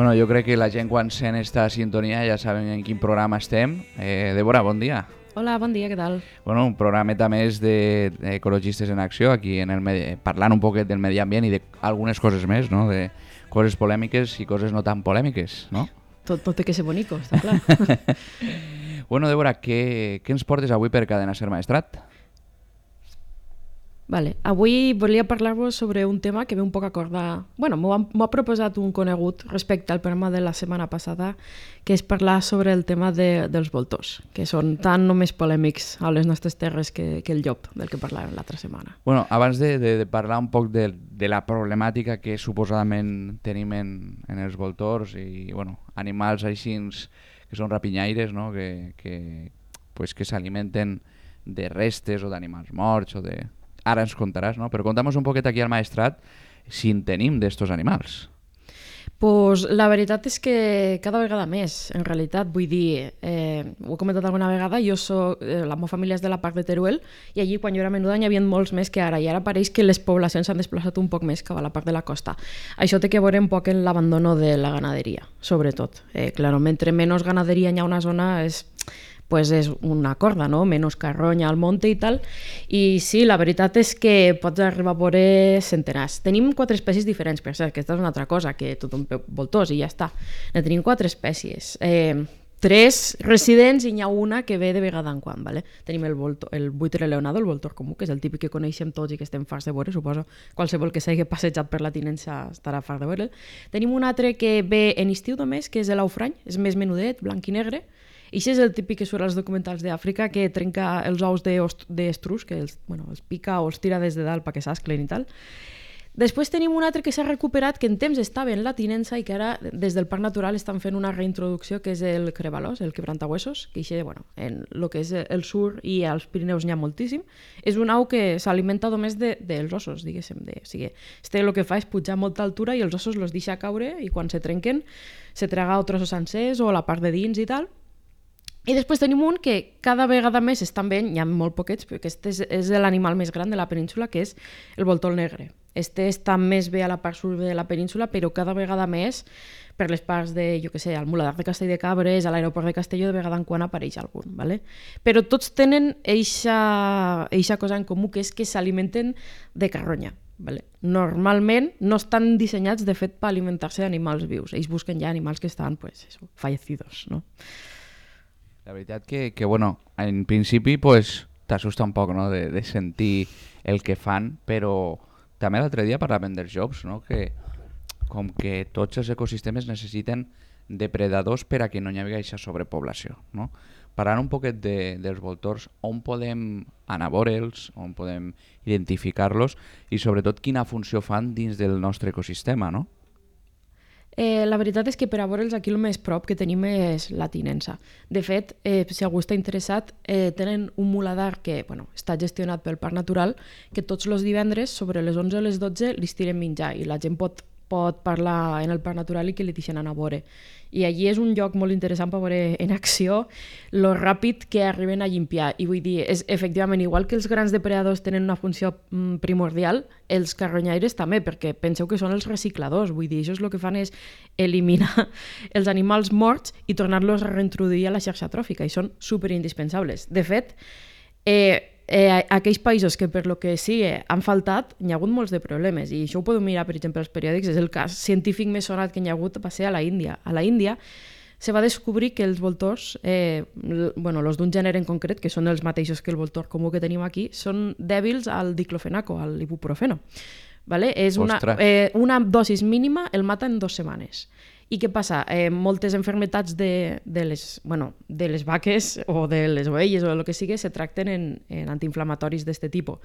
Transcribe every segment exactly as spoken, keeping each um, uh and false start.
Bueno, jo crec que la gent quan sent esta sintonia ja saben en quin programa estem. Eh, Débora, bon dia. Hola, bon dia, què tal? Bueno, un programeta més d'Ecologistes en Acció, aquí en el medi... parlant un poquet del medi ambient i d'algunes coses més, no? De coses polèmiques i coses no tan polèmiques, no? Tot, tot té que ser bonico, està clar. Bueno, Débora, què, què ens portes avui per Cadena Ser Maestrat? Vale. Avui volia parlar-vos sobre un tema que ve un poc a acordar... Bueno, m'ho ha, m'ho ha proposat un conegut respecte al programa de la setmana passada, que és parlar sobre el tema de, dels voltors, que són tan només polèmics a les nostres terres que, que el llop, del que parlàvem l'altra setmana. Bueno, abans de, de, de parlar un poc de, de la problemàtica que suposadament tenim en, en els voltors i bueno, animals així que són rapinyaires, no? que, que, pues, que s'alimenten de restes o d'animals morts o de... Ara ens contaràs, no? Però conta'm un poquet aquí al Maestrat si en tenim d'estos animals. Pues la veritat és que cada vegada més, en realitat, vull dir, eh, ho he comentat alguna vegada, jo soc, eh, la meva família és de la part de Teruel i allí quan jo era menuda n'hi havia molts més que ara i ara pareix que les poblacions s'han desplaçat un poc més cap a la part de la costa. Això té que veure un poc en l'abandono de la ganaderia, sobretot. Eh, claro, mentre menys ganaderia hi ha una zona és... pues és una corda, no? Menos carronya al monte i tal. I sí, la veritat és que pots arribar a veure centenars. Tenim quatre espècies diferents, per cert, aquesta és una altra cosa, que tothom veu voltors i ja està. Ne tenim quatre espècies. Eh, tres residents i n'hi ha una que ve de vegada en quan, ¿vale? Tenim el, voltor, el buitre leonado, el voltor comú, que és el típic que coneixem tots i que estem farts de veure, suposo. Qualsevol que s'hagi passejat per la tinença estarà fart de veure. Tenim un altre que ve en estiu només, que és l'aufrany, és més menudet, blanc i negre. I això és el típic que surt als documentals d'Àfrica, que trenca els ous d'estrus, que els, bueno, els pica o els tira des de dalt perquè s'asclen i tal. Després tenim un altre que s'ha recuperat, que en temps estava en la tinença i que ara des del Parc Natural estan fent una reintroducció, que és el crebalós, el quebrantahuesos, que això, bueno, en el que és el sur i als Pirineus n'hi ha moltíssim. És un au que s'alimenta només de, dels ossos, diguéssim. De, o sigui, este el que fa és pujar a molta altura i els ossos els deixa caure i quan se trenquen se traga o trossos sencers o la part de dins i tal. I després tenim un que cada vegada més estan veient, hi ha molt poquets, però aquest és, és l'animal més gran de la península, que és el voltor negre. Este està més bé a la part sud de la península, però cada vegada més per les parts de, jo què sé, al Muladar de Castell de Cabres, a l'aeroport de Castelló, de vegada en quan apareix algun, ¿vale? Però tots tenen eixa cosa en comú, que és que s'alimenten de carronya. Vale. Normalment no estan dissenyats, de fet, per alimentar-se d'animals vius. Ells busquen ja animals que estan, pues, eso, fallecidos, no? La veritat que, que bueno, en principi pues, t'assusta un poc, no? de, de sentir el que fan, però també l'altre dia parlàvem dels llops, no? Que com que tots els ecosistemes necessiten depredadors per a que no hi hagi aquesta sobrepoblació. No? Parlant un poquet de, dels voltors, on podem anar a veure'ls, on podem identificar-los i sobretot quina funció fan dins del nostre ecosistema, no? Eh, la veritat és que per a veure'ls aquí el més prop que tenim és la tinença. De fet, eh, si algú està interessat, eh, tenen un muladar que bueno, està gestionat pel Parc Natural, que tots els divendres, sobre les onze o les dotze, li tiren menjar i la gent pot, pot parlar en el Parc Natural i que li deixen anar a veure. I allí és un lloc molt interessant per veure en acció lo ràpid que arriben a llimpiar. I vull dir, és efectivament, igual que els grans depredadors tenen una funció mm, primordial, els carronyaires també, perquè penseu que són els recicladors. Vull dir, això és el que fan és eliminar els animals morts i tornar-los a reintroduir a la xarxa tròfica, i són superindispensables. De fet, eh, Eh, aquells països que per lo que sigui han faltat, hi ha hagut molts de problemes i això ho podeu mirar, per exemple, als periòdics. És el cas científic més sonat que hi ha hagut va ser a la Índia. A la Índia se va descobrir que els voltors, eh, bueno, els d'un gènere en concret, que són els mateixos que el voltor comú que tenim aquí, són dèbils al diclofenaco, al ibuprofeno. ¿Vale? És una, eh, una dosis mínima el mata en dues setmanes. I què passa? Eh, moltes enfermetats de, de, les, bueno, de les vaques o de les ovelles o el que sigui se tracten en, en antiinflamatoris d'aquest tipus.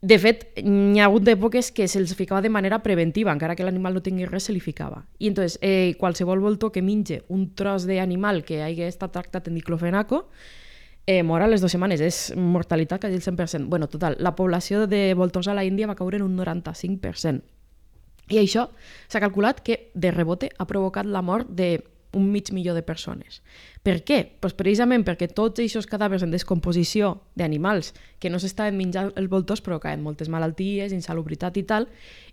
De fet, hi ha hagut d'èpoques que se'ls ficava de manera preventiva, encara que l'animal no tingui res, se li ficava. I entonces, eh, qualsevol voltor que minge un tros d'animal que hagi estat tractat en diclofenaco eh, mor a les dues setmanes. És mortalitat quasi el cent per cent. Bueno, total, la població de voltors a la Índia va caure en un noranta-cinc per cent. I això s'ha calculat que de rebote ha provocat la mort d'un mig milió de persones. Per què? Pues precisament perquè tots aquests cadàvers en descomposició d'animals que no s'estaven menjant els voltors provocaven moltes malalties, insalubritat i tal,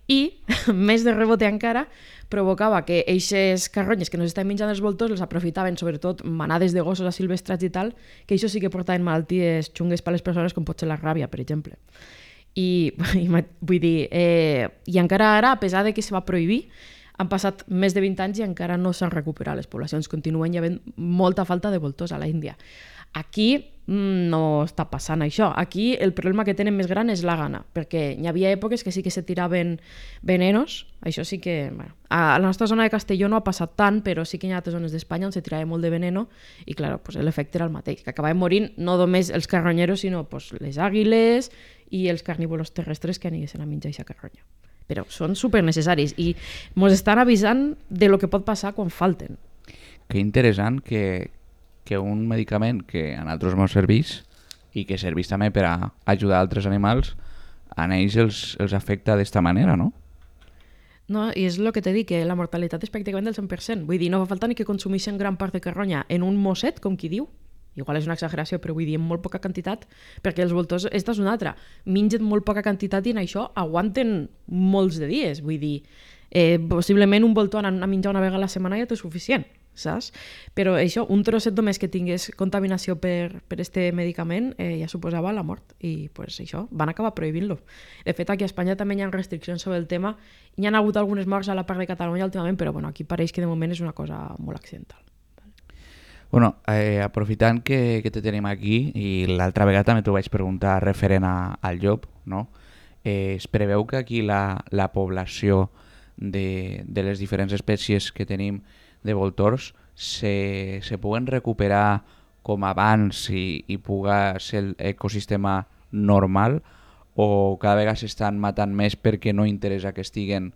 i, més de rebote encara, provocava que eixes carronyes que no s'estaven menjant els voltors els aprofitaven, sobretot manades de gossos asilvestrats i tal, que això sí que portaven malalties xungues per a les persones, com pot ser la ràbia, per exemple. I, i vull dir, eh, i encara ara, a pesar de que se va prohibir, han passat més de vint anys i encara no s'han recuperat les poblacions. Continuen hi havent molta falta de voltors a la Índia. Aquí no està passant això. Aquí el problema que tenen més gran és la gana, perquè hi havia èpoques que sí que se tiraven venenos, això sí que... Bueno, a la nostra zona de Castelló no ha passat tant, però sí que hi ha altres zones d'Espanya on se tirava molt de veneno i, clar, pues, l'efecte era el mateix, que acabaven morint no només els carronyeros, sinó pues, les àguiles i els carnívoros terrestres que aniguessin a menjar aquesta carronya. Però són supernecessaris i ens estan avisant de lo que pot passar quan falten. Que interessant que, que un medicament que a nosaltres ens serveix i que serveix també per a ajudar altres animals, a ells els, els afecta d'esta manera, no? No, i és el que t'he dit, que la mortalitat és pràcticament del cent per cent. Vull dir, no fa falta ni que consumeixen gran part de carronya en un mosset, com qui diu. Igual és una exageració, però vull dir, en molt poca quantitat, perquè els voltors, esta és una altra, mengen molt poca quantitat i en això aguanten molts de dies. Vull dir, eh, possiblement un voltor anant a menjar una vegada a la setmana ja té suficient, saps? Però això, un trosset només que tingués contaminació per, per este medicament eh, ja suposava la mort i pues, això, van acabar prohibint-lo. De fet, aquí a Espanya també hi ha restriccions sobre el tema. Hi ha hagut algunes morts a la part de Catalunya últimament, però bueno, aquí pareix que de moment és una cosa molt accidental. Bueno, eh, aprofitant que, que te tenim aquí i l'altra vegada també t'ho vaig preguntar referent a, al llop, no? Eh, es preveu que aquí la, la població de, de les diferents espècies que tenim de voltors se, se puguen recuperar com abans i, i puga ser l'ecosistema normal o cada vegada s'estan matant més perquè no interessa que estiguen,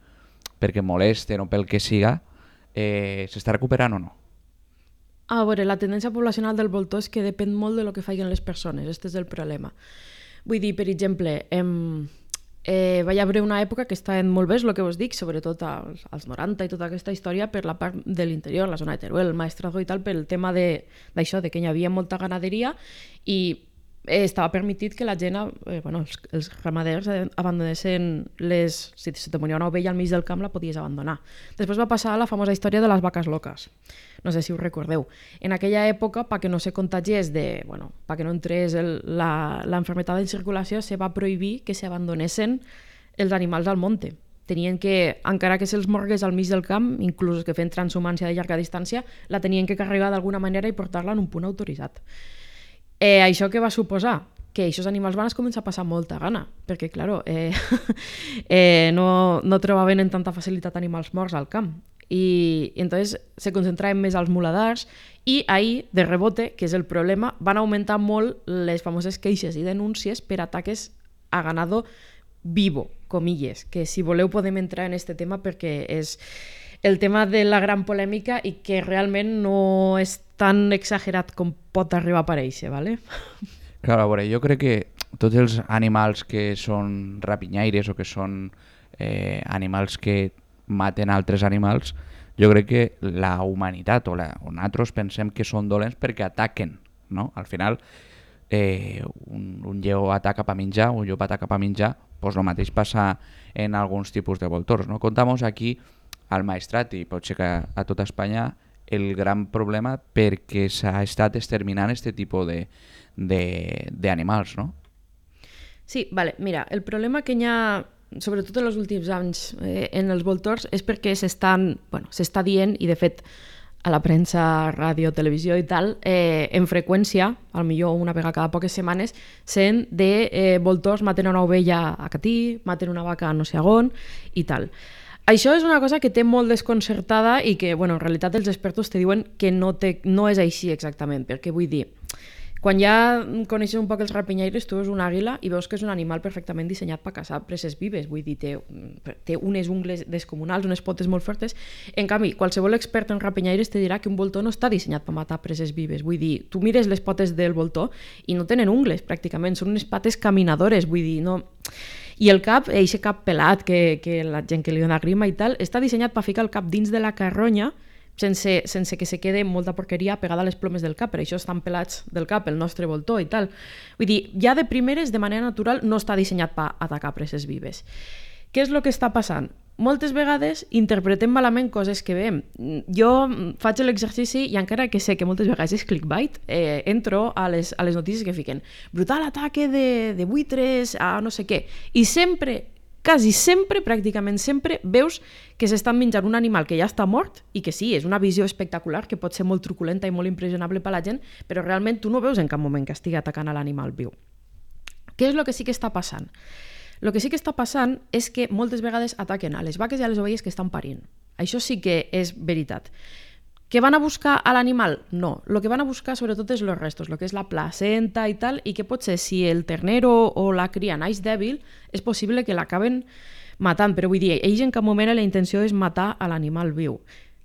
perquè molesten o pel que siga, eh, s'està recuperant o no? A veure, la tendència poblacional del voltor és que depèn molt de lo que facin les persones, aquest és el problema. Vull dir, per exemple, em, eh, vaig haver una època que estaven molt bé, el que vos dic, sobretot als, als noranta i tota aquesta història per la part de l'interior, la zona de Teruel, el Maestrazgo i tal, pel tema d'això, de, de que hi havia molta ganaderia i eh, estava permitit que la gent, eh, bueno, els, els ramaders abandonessin les... Si te moria una ovella al mig del camp la podies abandonar. Després va passar la famosa història de les vaques loques. No sé si ho recordeu. En aquella època, perquè no se contagiés de... Bueno, perquè no entrés l'enfermetat en circulació, se va prohibir que s'abandonessin els animals al monte. Tenien que, encara que se'ls morgués al mig del camp, inclús que feien transhumància de llarga distància, la tenien que carregar d'alguna manera i portar-la en un punt autoritzat. Eh, això què va suposar? Que aquests animals van començar a passar molta gana, perquè, claro, eh, eh, no, no trobaven en tanta facilitat animals morts al camp. I, i entonces se concentraven més als muladars i ahir, de rebote, que és el problema, van augmentar molt les famoses queixes i denúncies per ataques a ganado vivo, comilles, que si voleu podem entrar en este tema perquè és el tema de la gran polèmica i que realment no és tan exagerat com pot arribar a aparèixer, ¿vale? Clar, a veure, jo crec que tots els animals que són rapinyaires o que són eh, animals que maten altres animals, jo crec que la humanitat o, la, o nosaltres pensem que són dolents perquè ataquen, no? Al final, eh, un, un lleó ataca per menjar, un llop ataca per menjar, doncs el mateix passa en alguns tipus de voltors, no? Contamos aquí al Maestrat i pot ser que a tota Espanya el gran problema perquè s'ha estat exterminant aquest tipus d'animals, no? Sí, vale, mira, el problema que hi ha, sobretot en els últims anys eh, en els voltors, és perquè s'estan, bueno, s'està dient, i de fet a la premsa, ràdio, televisió i tal, eh, en freqüència, al millor una vegada cada poques setmanes, sent de eh, voltors maten una ovella a Catí, maten una vaca a no sé on i tal. Això és una cosa que té molt desconcertada i que, bueno, en realitat els expertos te diuen que no, té, no és així exactament, perquè vull dir, quan ja coneixes un poc els rapinyaires, tu veus una àguila i veus que és un animal perfectament dissenyat per caçar preses vives, vull dir, té, té unes ungles descomunals, unes potes molt fortes. En canvi, qualsevol expert en rapinyaires te dirà que un voltor no està dissenyat per matar preses vives, vull dir, tu mires les potes del voltor i no tenen ungles, pràcticament, són unes pates caminadores, vull dir, no... I el cap, eixe cap pelat que, que la gent que li dona grima i tal, està dissenyat per ficar el cap dins de la carronya sense, sense que se quede molta porqueria pegada a les plomes del cap, per això estan pelats del cap, el nostre voltor i tal. Vull dir, ja de primeres, de manera natural, no està dissenyat per atacar preses vives. Què és el que està passant? Moltes vegades interpretem malament coses que veiem. Jo faig l'exercici i encara que sé que moltes vegades és clickbait, eh, entro a les, a les notícies que fiquen brutal ataque de, de buitres a no sé què. I sempre, quasi sempre, pràcticament sempre, veus que s'estan menjant un animal que ja està mort i que sí, és una visió espectacular, que pot ser molt truculenta i molt impressionable per la gent, però realment tu no veus en cap moment que estigui atacant a l'animal viu. Què és el que sí que està passant? El que sí que està passant és que moltes vegades ataquen a les vaques i a les ovelles que estan parint. Això sí que és veritat. Que van a buscar a l'animal? No. El que van a buscar sobretot és els restos, el que és la placenta i tal, i que potser si el ternero o la cria naix dèbil, és possible que l'acaben matant, però vull dir, ells en cap moment la intenció és matar a l'animal viu.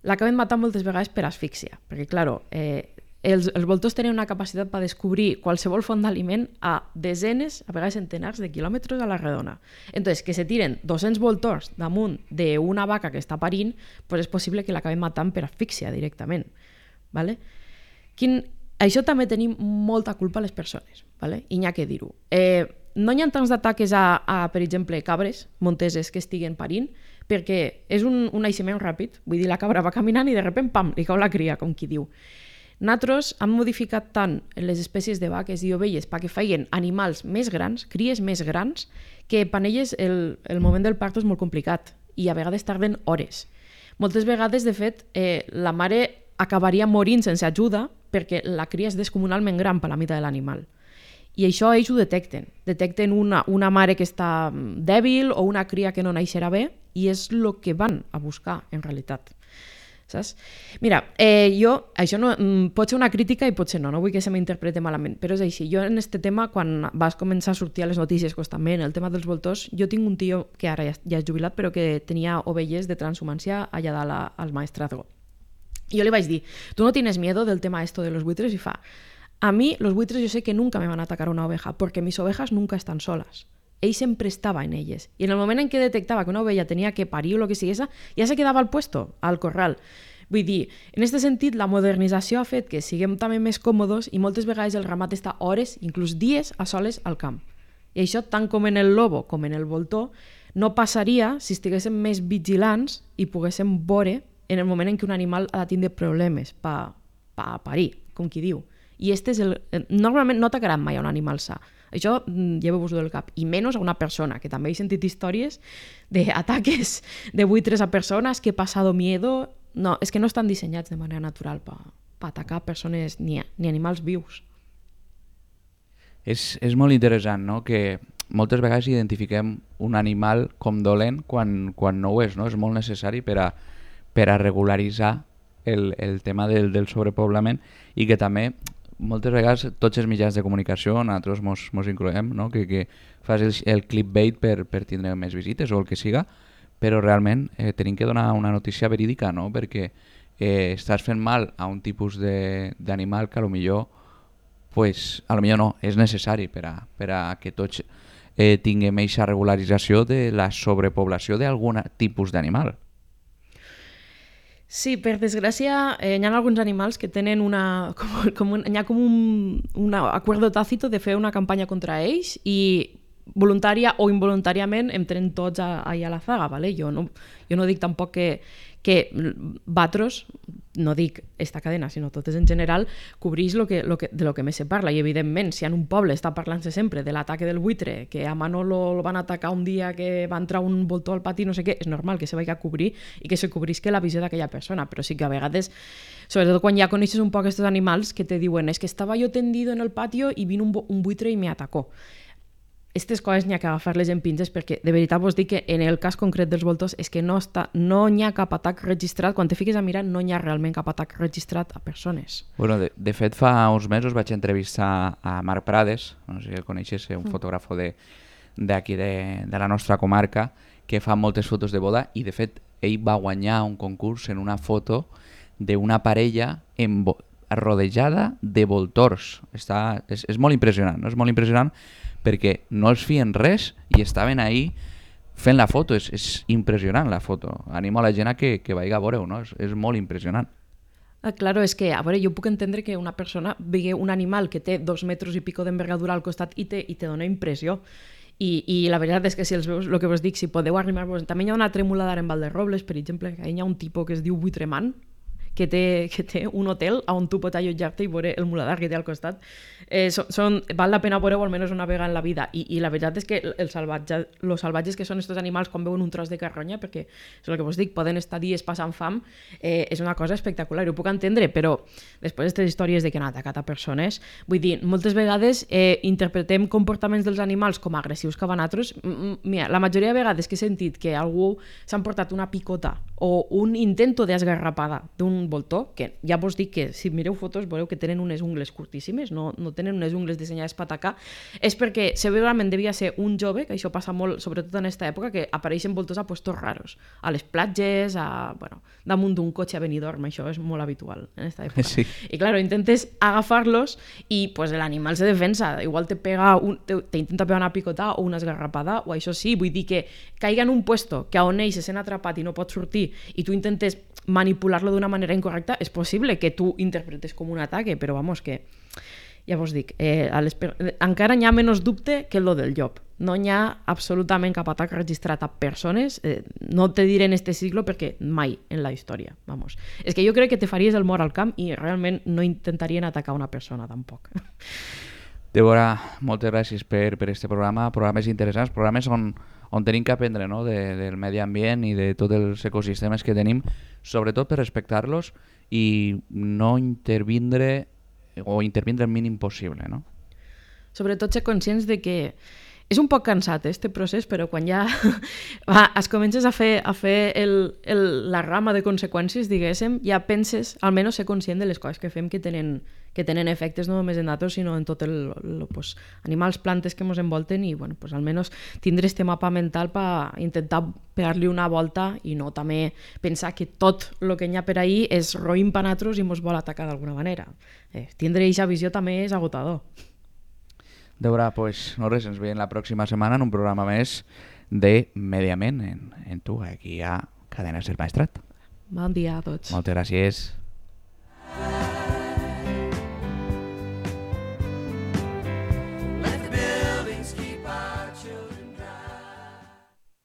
L'acaben matant moltes vegades per asfíxia, perquè, clar, eh, Els, els voltors tenen una capacitat per descobrir qualsevol font d'aliment a desenes, a vegades centenars de quilòmetres a la redona. Entonces, que se tiren dos-cents voltors damunt d'una vaca que està parint, pues és possible que l'acaben matant per asfíxia directament. Vale? Quin... Això també tenim molta culpa a les persones, vale? I n'hi ha que dir-ho. Eh, no hi ha tants d'ataques a, a, per exemple, cabres monteses que estiguen parint, perquè és un, un naixement ràpid, vull dir, la cabra va caminant i de sobte, pam, li cau la cria, com qui diu. Nosaltres hem modificat tant les espècies de vaques i ovelles perquè feien animals més grans, cries més grans, que per elles el, el moment del parto és molt complicat i a vegades tarden hores. Moltes vegades, de fet, eh, la mare acabaria morint sense ajuda perquè la cria és descomunalment gran per la mida de l'animal. I això ells ho detecten. Detecten una, una mare que està dèbil o una cria que no naixerà bé i és el que van a buscar, en realitat. Saps? Mira, eh, jo, això no, pot ser una crítica i potser no, no vull que se m'interpreti malament, però és així. Jo en este tema, quan vas començar a sortir a les notícies constantment, el tema dels voltors, jo tinc un tio que ara ja, ja és jubilat, però que tenia ovelles de transhumància allà dalt a, al maestrazgo. I jo li vaig dir, tu no tienes miedo del tema esto de los buitres? I fa, a mi los buitres yo sé que nunca me van a atacar una oveja, porque mis ovejas nunca están solas. Ell sempre estava en elles. I en el moment en què detectava que una ovella tenia que parir o el que sigués, ja se quedava al puesto, al corral. Vull dir, en aquest sentit, la modernització ha fet que siguem també més còmodes i moltes vegades el ramat està hores, inclús dies, a soles al camp. I això, tant com en el lobo com en el voltor, no passaria si estiguéssim més vigilants i poguéssim veure en el moment en què un animal ha de tindre problemes per pa parir, com qui diu. I este és el... Normalment no atacaran mai a un animal sa. Això lleveu-vos-ho del cap. I menys a una persona, que també he sentit històries d'ataques de buitres a persones que he passado miedo. No, és que no estan dissenyats de manera natural per pa atacar persones ni, ni animals vius. És, és molt interessant, no?, que moltes vegades identifiquem un animal com dolent quan, quan no ho és, no? És molt necessari per a, per a regularitzar el, el tema del, del sobrepoblament i que també moltes vegades tots els mitjans de comunicació, nosaltres mos, mos incloem, no? que, que fas el, el clickbait per, per tindre més visites o el que siga, però realment eh, tenim que donar una notícia verídica, no? Perquè eh, estàs fent mal a un tipus d'animal que a lo millor, pues, a lo millor no, és necessari per a, per a que tots eh, tinguem aquesta regularització de la sobrepoblació d'algun tipus d'animal. Sí, per desgràcia, eh, hi ha alguns animals que tenen una... Com, com un, hi ha com un, un acuerdo tàcito de fer una campanya contra ells i voluntària o involuntàriament entren tots a, a, a la zaga, ¿vale? Jo no, jo no dic tampoc que, que Batros, no dic esta cadena, sinó totes en general, cobrís lo que, lo que, de lo que més se parla. I evidentment, si en un poble està parlant-se sempre de l'ataque del buitre, que a Manolo lo van atacar un dia que va entrar un voltor al pati, no sé què, és normal que se vagi a cobrir i que se cobrisque la visió d'aquella persona, però sí que a vegades, sobretot quan ja coneixes un poc aquests animals que te diuen és que estava jo tendido en el patio i vino un, un buitre i me atacó. Aquestes coses n'hi ha que agafar-les en pinces perquè de veritat vos dic que en el cas concret dels voltors és que no, està, no n'hi ha cap atac registrat. Quan te fiques a mirar no n'hi ha realment cap atac registrat a persones. Bueno, de, de fet fa uns mesos vaig entrevistar a Marc Prades, no sé si el coneixes, un mm. fotògrafo d'aquí de, de, de la nostra comarca que fa moltes fotos de boda i de fet ell va guanyar un concurs en una foto d'una parella en rodejada de voltors. Està, és, és molt impressionant, no? És molt impressionant perquè no els fien res i estaven ahí fent la foto. És, és impressionant la foto. Animo a la gent a que, que vagi a veure-ho, no? És, és molt impressionant. Ah, claro, és que, a veure, jo puc entendre que una persona vegi un animal que té dos metres i pico d'envergadura al costat i te, i te dona impressió. I, i la veritat és que si els veus, el que vos dic, si podeu arribar-vos... També hi ha una tremoladora en Valderrobles, per exemple, que hi ha un tipus que es diu Buitremant, que té, que té un hotel on tu pots allotjar-te i veure el muladar que té al costat. Eh, són, són, val la pena veure-ho almenys una vegada en la vida. I, i la veritat és que els salvatge, los salvatges que són aquests animals quan veuen un tros de carronya, perquè és el que vos dic, poden estar dies passant fam, eh, és una cosa espectacular. Ho puc entendre, però després d'aquestes històries de que han atacat a persones, vull dir, moltes vegades eh, interpretem comportaments dels animals com a agressius cap a nosaltres. Mira, la majoria de vegades que he sentit que algú s'ha emportat una picota o un intento d'esgarrapada d'un voltor, que ja vos dic que si mireu fotos veureu que tenen unes ungles curtíssimes, no, no tenen unes ungles dissenyades per atacar, és perquè segurament devia ser un jove, que això passa molt, sobretot en aquesta època, que apareixen voltors a puestos raros, a les platges, a, bueno, damunt d'un cotxe a Benidorm, això és molt habitual en aquesta època. Sí. I claro, intentes agafar-los i pues, l'animal se defensa, igual te pega un, te, te intenta pegar una picota o una esgarrapada, o això sí, vull dir que caiga en un puesto que on ell se sent atrapat i no pot sortir i tu intentes manipular-lo d'una manera incorrecta, és possible que tu interpretes com un ataque, però vamos, que ja vos dic, eh, a les, encara n'hi ha menys dubte que lo del llop. No n'hi ha absolutament cap atac registrat a persones, eh, no te diré en este siglo perquè mai en la història, vamos. És que jo crec que te faries el mort al camp i realment no intentarien atacar una persona tampoc. Débora, moltes gràcies per, per este programa, programes interessants, programes on, on tenim que aprendre, no? de, del medi ambient i de tots els ecosistemes que tenim, sobretot per respectar-los i no intervindre o intervindre el mínim possible, no? Sobretot ser conscients de que és un poc cansat, eh, este procés, però quan ja va, es comences a fer, a fer el, el, la rama de conseqüències, diguéssim, ja penses, almenys ser conscient de les coses que fem que tenen, que tenen efectes no només en nosaltres, sinó en tot el, el pues, animals, plantes que ens envolten i, bueno, pues, almenys tindre este mapa mental per intentar pegar-li una volta i no també pensar que tot el que hi ha per ahir és roïn per nosaltres i ens vol atacar d'alguna manera. Eh, tindre aquesta visió també és agotador. Débora, pues no res, ens veiem la pròxima setmana en un programa més de Medi Ambient en, en tu, aquí a Cadena Ser Maestrat. Bon dia a tots. Moltes gràcies.